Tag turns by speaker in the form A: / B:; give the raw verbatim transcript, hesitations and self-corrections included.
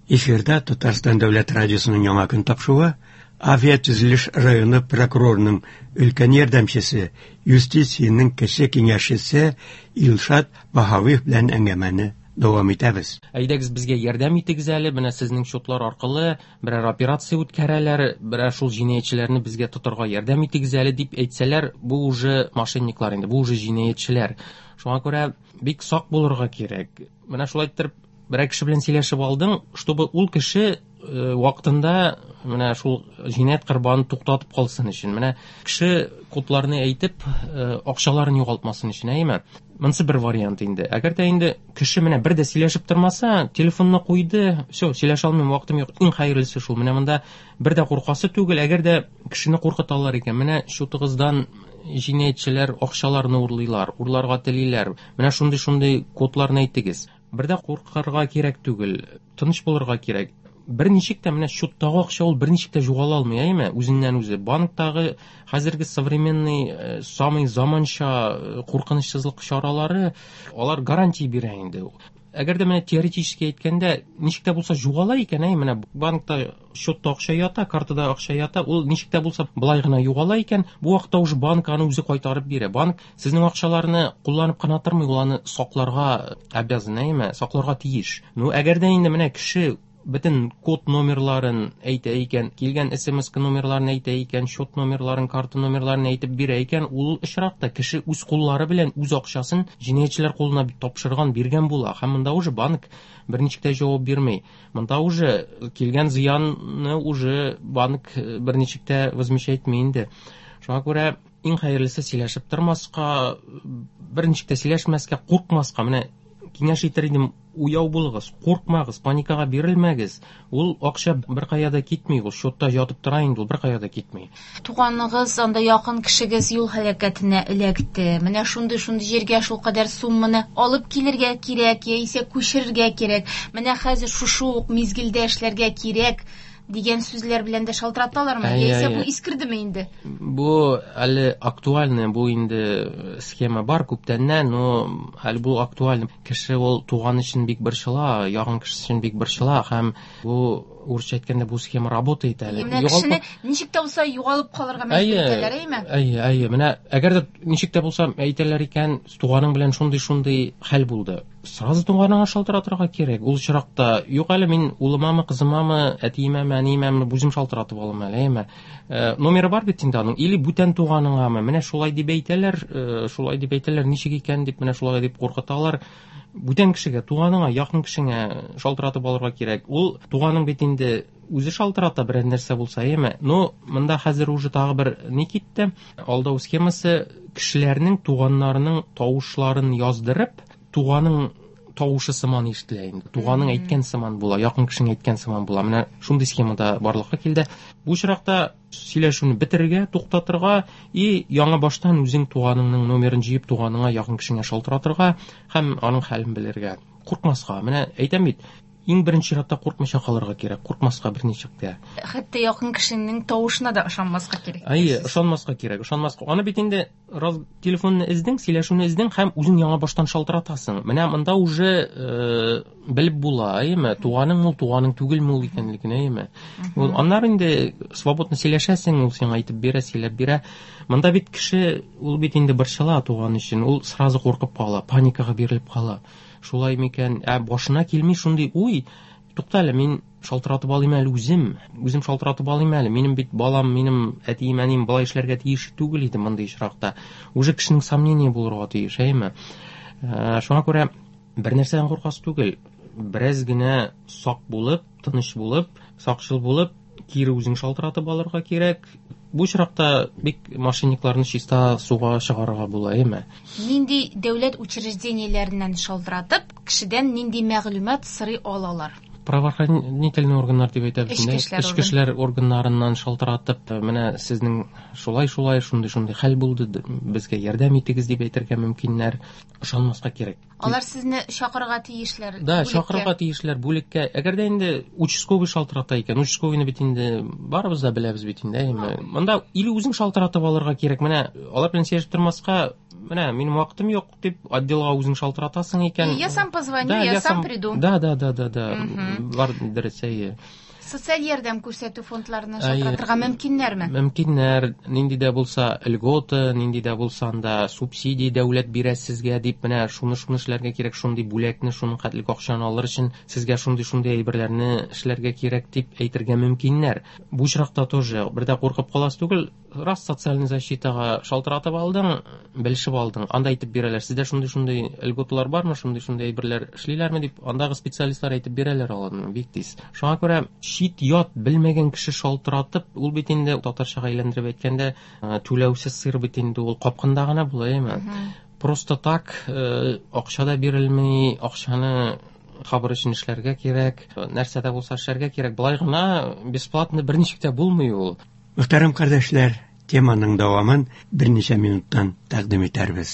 A: Эфирда Татарстан дәүләт радиосының Яңа көн тапшыруы. Авиатөзелеш районы прокурорының өлкән ярдәмчесе, юстициянең кече киңәшчесе Илшат Баһавиев белән әңгәмәне дәвам итәбез.
B: Әйдәгез, безгә ярдәм итегез әле, менә сезнең счетлар аркылы берәр операция үткәрәләр, берәр шул җинаятьчеләрне безгә тотарга ярдәм итегез әле дип әйтсәләр, бу уже мошенниклар инде, бу уже җинаятьчеләр. Шуңа күрә бик сак булырга кирәк. Менә шулай иттереп берәр кеше белән сөйләшеп алдың, чтобы ул кеше э, вакытында менә шул җинаять корбанын туктатып калсын өчен. Менә кеше кодларны әйтеп, э, акчаларын югалтмасын өчен, әйеме? Монысы бер вариант инде. Әгәр дә инде кеше менә бер дә сөйләшеп тормаса, телефонны куйды, все, сөйләшә алмыйм, вакытым юк. Иң хәерлесе шул. Менә монда бер дә куркасы түгел. Әгәр дә кешене куркыталар икән, менә счетыгыздан җинаятьчеләр акчаларны урлыйлар, урларга телиләр. Менә шундый-шундый кодларны әйтегез. Бер дә куркырга кирәк түгел, тыныч булырга кирәк. Берничек тә менә счеттагы акча ул берничек тә югала алмый, әйеме? Үзеннән үзе. Банктагы хәзерге современный, э, самый заманча э, куркынычсызлык чаралары, алар гарантия бирә инде. Әгәр дә менә теоретически әйткәндә, ничек тә булса югала икән, әй, менә банкта счетта акча ята, картада акча ята, ул ничек тә булса былай гына югала икән, бу вакытта уже банк аны үзе кайтарып бирә. Банк сезнең акчаларны кулланып кына тормый, ул аны сакларга обязан, әйеме? Сакларга тиеш. Ну, әгәр дә инде менә кеше бөтен код номерларын әйтә икән, килгән С М С номерларын әйтә икән, счет номерларын, карта номерларын әйтеп бирә икән, ул очракта кеше үз куллары белән үз акчасын җинаятьчеләр кулына тапшырган, биргән була. Һәм монда уже банк берничек тә җавап бирми. Монда уже килгән зыянны уже банк берничек тә возмещать итми инде. Шуңа күрә иң хәерлесе сөйләшеп тормаска, берничек тә сөйләшмәскә, куркмаска. Менә киңәш итер идем, уяу булыгыз, куркмагыз, паникага бирелмәгез. Ул акча беркая да китми, ул счетта ятып тора инде, ул беркая да китми.
C: Туганыгыз, анда якын кешегез юл һәлакәтенә эләкте. Менә шундый-шундый җиргә шул кадәр сумманы алып килергә кирәк, яисә күчерергә кирәк. Менә хәзер шушы ук мизгелдә эшләргә кирәк дигән сүзләр белән дә шалтыраталармы?
B: Әйе,
C: Яисә
B: әйе.
C: бу искердеме инде?
B: Бу әле актуальный, бу инде схема бар күптәннән, но әле бу актуальный. Кеше ул туган өчен бик борчыла, якын кеше өчен бик борчыла һәм бу урысча әйткәндә бу схема работает әле.
C: Менә
B: Югалып
C: кешене ничек тә булса югалып калырга мәҗбүр
B: Әйе,
C: итәләр, әйеме?
B: Әйе, әйе. Менә әгәр дә ничек тә булса әйтәләр икән, туганың белән шундый-шундый хәл булды. Сразу туганыңа шалтыратырга кирәк. Ул очракта юк әле мин улымамы, кызымамы, әтиемәме, әниемәме үзем шалтыратып алам әле, әйеме? Э, номеры бар бит инде аның, или бүтән туганыңамы? Менә шулай дип әйтәләр, э, шулай дип әйтәләр, ничек икән дип, менә шулай дип куркыталар. Бүтән кешегә, туганыңа, якын кешеңә шалтыратып алырга кирәк. Ул туганың бит инде үзе шалтырата берәр нәрсә булса, әйеме? Но монда хәзер уже тагы бер ни китте? Алдау схемасы кешеләрнең туганнарының тавышларын яздырып, туганың тавышы сыман ишетелә инде. Туганың әйткән сыман була, якын кешең әйткән сыман була. Менә шундый схемада барлыкка килде. Бу очракта сөйләшүне бетерергә, туктатырга и яңа баштан үзең туганыңның номерын җыеп, туганыңа, якын кешеңә шалтыратырга һәм аның хәлен белергә. Куркмаска. Менә әйтәм бит, иң беренче чиратта куркмыйча калырга кирәк, куркмаска берничек тә.
C: Хәтта якын кешенең тавышына да ышанмаска кирәк.
B: Әйе, ышанмаска кирәк, ышанмаска. Аны бит инде раз телефонны эздең, сөйләшүне эздең һәм үзең яңа баштан шалтыратасың. Менә монда уже, э, белеп була, әйеме? Туганың ул, туганың түгелме ул икәнлеген, әйеме? Ул аннары инде свободно сөйләшәсең, ул сиңа әйтеп бирә, сөйләп бирә. Монда бит кеше, ул бит инде борчыла туган өчен, ул сразу куркып кала, паникага бирелеп кала. Шулай микән? Ә башына килми шундый уй, тукта әле, мин шалтыратып алыйм әле үзем, үзем шалтыратып алыйм әле, минем бит балам, минем әтием, әнием болай эшләргә тиеш түгел иде мондый очракта. Уже кешенең сомнение булырга тиеш, әйеме? Ә, шуңа күрә бер нәрсәдән куркасы түгел, бераз генә сак булып, тыныч булып, сакчыл булып, кире үзең шалтыратып алырга кирәк. Бу очракта бик мошенникларны чиста суга чыгарырга була, әйеме?
C: Нинди дәүләт учреждениеләреннән шалтыратып, кешедән нинди мәгълүмат сорый алалар?
B: Правоохранительный органнар дип әйтәбез
C: Эчке
B: инде.
C: эшләр
B: Эчке эшләр органнарыннан шалтыратып, менә сезнең шулай-шулай, шундый-шундый хәл булды, безгә ярдәм итегез дип әйтергә мөмкиннәр. Ышанмаска кирәк.
C: Алар сезне чакырырга тиешләр
B: Да,
C: бүлеккә.
B: чакырырга тиешләр бүлеккә. Әгәр дә инде участковый шалтырата икән, участковыйны бит инде барыбыз да беләбез бит инде, әйеме? Монда или үзең шалтыратып алырга кирәк. Менә алар белән сөйләшеп тормаска, Менә минем вакытым юк дип отделга үзең шалтыратасың икән.
C: Я сам позвоню, я, я сам приду.
B: Да, да, да, да, да. Бар дөрес, әйе.
C: Социаль ярдәм күрсәтү фондларына шалтыратырга мөмкиннәрме?
B: Мөмкиннәр. Нинди дә булса льгота, нинди дә булса анда субсидия дәүләт бирә сезгә дип, менә шуны-шуны эшләргә кирәк, шундый бүләкне, шуның хәтлек акчаны алыр өчен сезгә шундый-шундый әйберләрне эшләргә кирәк дип әйтергә мөмкиннәр. Бу очракта тоже бер дә куркып каласы түгел. Раз социальный защитага шалтыратып алдың, белешеп алдың, анда әйтеп бирәләр, сездә шундый-шундый льготалар бармы, шундый-шундый әйберләр эшлиләрме дип, андагы специалистлар әйтеп бирәләр аларны бик тиз. Шуңа күрә чит ят белмәгән кеше шалтыратып, ул бит инде татарчага әйләндереп әйткәндә, түләүсез сыр бит инде ул капкында гына була, әйме? Просто так акча да бирелми, акчаны хабар өчен эшләргә кирәк, нәрсә дә булса эшләргә кирәк. Болай гына бесплатно берничек тә булмый ул.
A: Мөхтәрәм кардәшләр, теманың дәвамын берничә минуттан тәкъдим итәрбез.